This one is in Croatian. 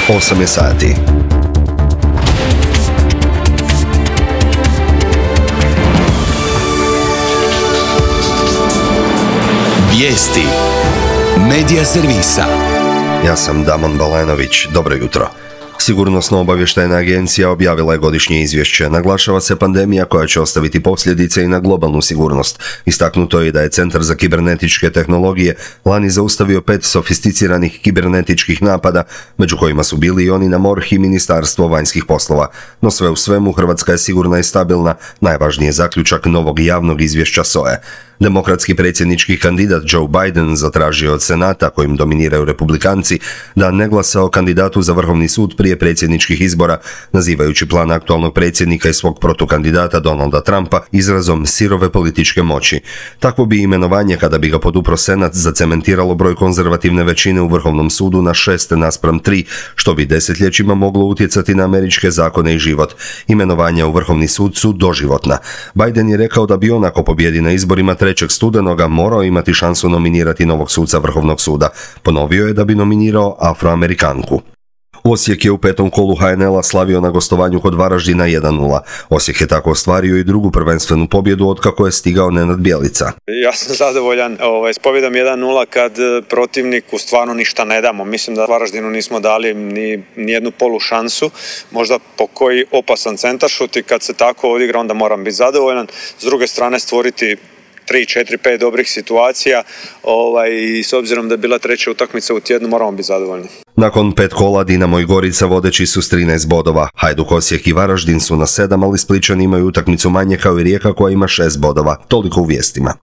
8 je sati. Vijesti Medija servisa. Ja sam Damon Balenović. Dobro jutro. Sigurnosno-obavještajna agencija objavila je godišnje izvješće. Naglašava se pandemija koja će ostaviti posljedice i na globalnu sigurnost. Istaknuto je da je Centar za kibernetičke tehnologije lani zaustavio 5 sofisticiranih kibernetičkih napada, među kojima su bili i oni na MORH i Ministarstvo vanjskih poslova. No sve u svemu, Hrvatska je sigurna i stabilna, najvažniji je zaključak novog javnog izvješća SOA-e. Demokratski predsjednički kandidat Joe Biden zatražio od Senata, kojim dominiraju republikanci, da ne glasa o kandidatu za Vrhovni sud prije predsjedničkih izbora, nazivajući plan aktualnog predsjednika i svog protukandidata Donalda Trumpa izrazom sirove političke moći. Takvo bi imenovanje, kada bi ga podupro Senat, zacementiralo broj konzervativne većine u Vrhovnom sudu na 6:3, što bi desetljećima moglo utjecati na američke zakone i život. Imenovanja u Vrhovni sud su doživotna. Biden je rekao da bi on, ako pobjedi na izborima 3. studenoga, morao imati šansu nominirati novog suca Vrhovnog suda. Ponovio je da bi nominirao Afroamerikanku. Osijek je u 5. kolu HNL-a slavio na gostovanju kod Varaždina 1:0. Osijek je tako ostvario i drugu prvenstvenu pobjedu otkako je stigao Nenad Bjelica. Ja sam zadovoljan s pobjedom 1:0 kad protivniku stvarno ništa ne damo. Mislim da Varaždinu nismo dali ni jednu polu šansu, možda po koji opasan centaršut, i kad se tako odigra onda moram biti zadovoljan. S druge strane stvoriti 3, 4, 5 dobrih situacija i s obzirom da je bila treća utakmica u tjednu moramo biti zadovoljni. Nakon 5 kola Dinamo i Gorica vodeći su s 13 bodova. Hajduk, Osijek i Varaždin su na 7, ali Splićani imaju utakmicu manje kao i Rijeka koja ima 6 bodova. Toliko u vijestima.